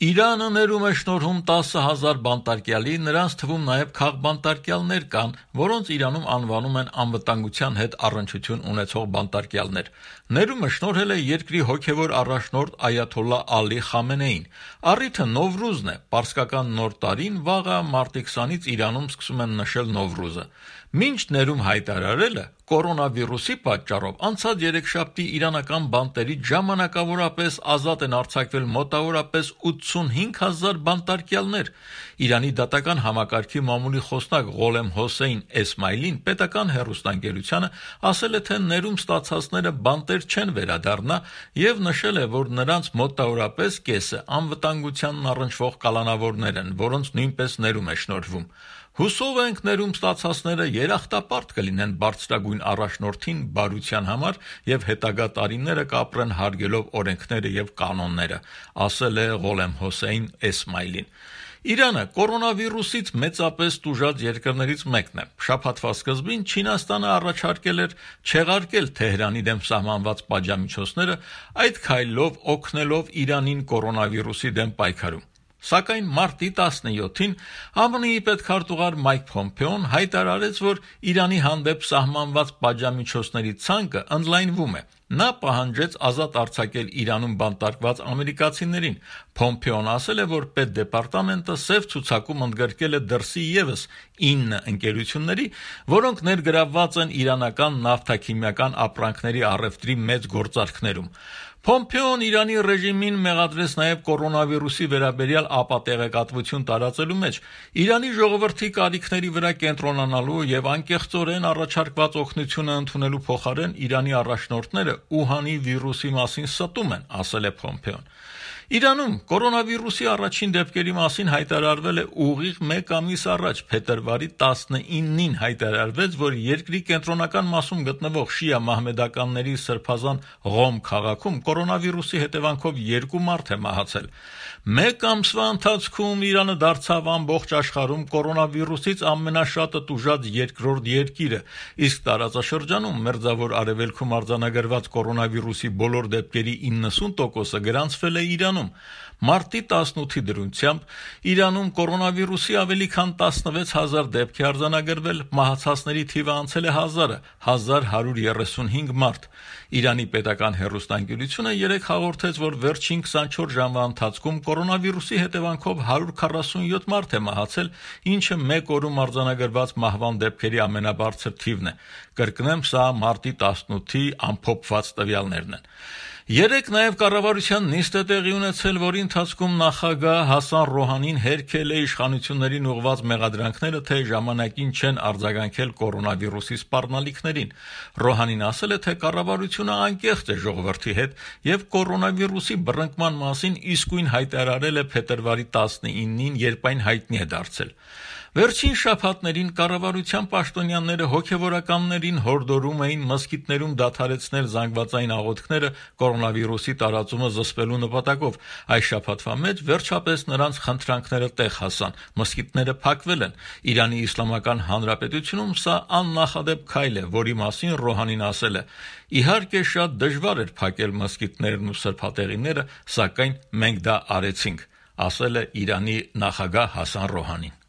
Իրանը ներում է շնորհում 10,000 բանտարկյալի, նրանց թվում նաև քաղբանտարկյալներ կան, որոնց Իրանում անվանում են անվտանգության հետ առնչություն ունեցող բանտարկյալներ։ Ներումը շնորհել է երկրի հոգևոր առաջնորդ Այաթոլլահ Ալի Խամենեին։ Առիթը Նովրուզն է, պարսկական նոր տարին, վաղը մարտի 20-ից Իրանում սկսում են նշել Նովրուզը։ Մինչ ներում հայտարարելը կորոնավիրուսի պատճառով անցած երեքշաբթի իրանական բանտերից ժամանակավորապես ազատ են արձակվել մոտավորապես 85,000 բանտարկյալներ։ Իրանի դատական համակարգի մամուլի խոսնակ Ղոլեմ Հոսեյն Էսմայլին պետական հեռուստաընկերությանը ասել է, թե ներում ստացածները բանտեր չեն վերադառնա եւ նշել է, որ նրանց մոտավորապես կեսը անվտանգությանն առնչվող կալանավորներ են, որոնց նույնպես ներում է շնորհվում։ Հուսով ենք ներում ստացածները երախտապարտ կլինեն բարձրագույն առաջնորդին բարության համար եւ հետագա տարիները կապրեն հարգելով օրենքները եւ կանոնները, ասել է Ղոլեմ Հոսեյն Էսմայլին։ Իրանը կորոնավիրուսից մեծապես տուժած երկրներից մեկն է։ Շաբաթվա սկզբին Չինաստանը առաջարկել էր չեղարկել Թեհրանի դեմ սահմանված պատժամիջոցները, այդ քայլով օգնելով Իրանին կորոնավիրուսի դեմ պայքարում։ Սակայն մարտի 17-ին ԱՄՆ-ի պետքարտուղար Մայք Փոմպեոն հայտարարեց, որ Իրանի հանդեպ սահմանված պատժամիջոցների ցանկը ընդլայնվում է։ Նա պահանջեց ազատ արձակել Իրանում բանտարկված ամերիկացիներին։ Փոմպեոն ասել է, որ պետդեպարտամենտը սև ցուցակում ընդգրկել է դրսի ևս 9 ընկերությունների, որոնք ներգրավված են իրանական նավթաքիմիական ապրանքների առևտրի մեծ գործարքներում։ Փոմպեոն Իրանի ռեժիմին մեղադրեց նաև կորոնավիրուսի վերաբերյալ ապատեղեկատվություն տարածելու մեջ, Իրանի ժողովրդի կարիքների վրա կենտրոնանալու եւ անկեղծորեն առաջարկված օգնությունը ընդունելու փոխարեն Իրանի առաջնորդները Ուհանի վիրուսի մասին ստում են, ասել է Փոմպեոն։ Իրանում կորոնավիրուսի առաջին դեպքերի մասին հայտարարվել է ուղիղ 1 ամիս առաջ, փետրվարի 19-ին հայտարարվեց, որ երկրի կենտրոնական մասում գտնվող շիա մահմեդականների սրբազան Ղոմ քաղաքում կորոնավիրուսի հետևանքով 2 մարդ է մահացել։ 1 ամսվա ընթացքում Իրանը դարձավ ամբողջ աշխարհում կորոնավիրուսից ամենաշատը տուժած երկրորդ երկիրը, իսկ տարածաշրջանում Մերձավոր Արևելքում արձանագրված կորոնավիրուսի բոլոր դեպքերի 90%-ը գրանցվել է Իրանում։ Մարտի 18-ի դրությամբ Իրանում կորոնավիրուսի ավելի քան 16,000 դեպք է արձանագրվել, մահացածների թիվը անցել է 1000-ը, 1135 մարդ։ Իրանի պետական հեռուստաընկերությունը երեկ հաղորդեց, որ վերջին 24 ժամվա ընթացքում կորոնավիրուսի հետևանքով 147 մարդ է մահացել, ինչը մեկ օրում արձանագրված մահվան դեպքերի ամենաբարձր թիվն է։ Կրկնեմ, սա մարտի 18-ի ամփոփված տվյալներն են։ Երեկ նաև կառավարության նիստ է տեղի ունեցել, որի ընթացքում նախագահ Հասան Ռոհանին հերքել է իշխանություններին ուղղված մեղադրանքները, թե ժամանակին չեն արձագանքել կորոնավիրուսի սպառնալիքներին։ Ռոհանին ասել է, թե կառավարությունը անկեղծ է ժողովրդի հետ եւ կորոնավիրուսի բռնկման մասին իսկույն հայտարարել է փետրվարի 19-ին, երբ այն հայտնի է դարձել։ Վերջին շաբաթներին կառավարության պաշտոնյաները հոգևորականներին հորդորում էին մզկիթներում դադարեցնել զանգվածային աղոթքները կորոնավիրուսի տարածումը զսպելու նպատակով։ Այս շաբաթվա մեջ վերջապես նրանց խնդրանքները տեղ հասան, մզկիթները փակվել են։ Իրանի Իսլամական Հանրապետությունում սա աննախադեպ քայլ է, որի մասին Ռոհանին ասել է. «Իհարկե շատ դժվար էր փակել մզկիթներն ու սրբատեղիները, սակայն մենք դա արեցինք», ասել է Իրանի նախագահ Հասան Ռոհանին։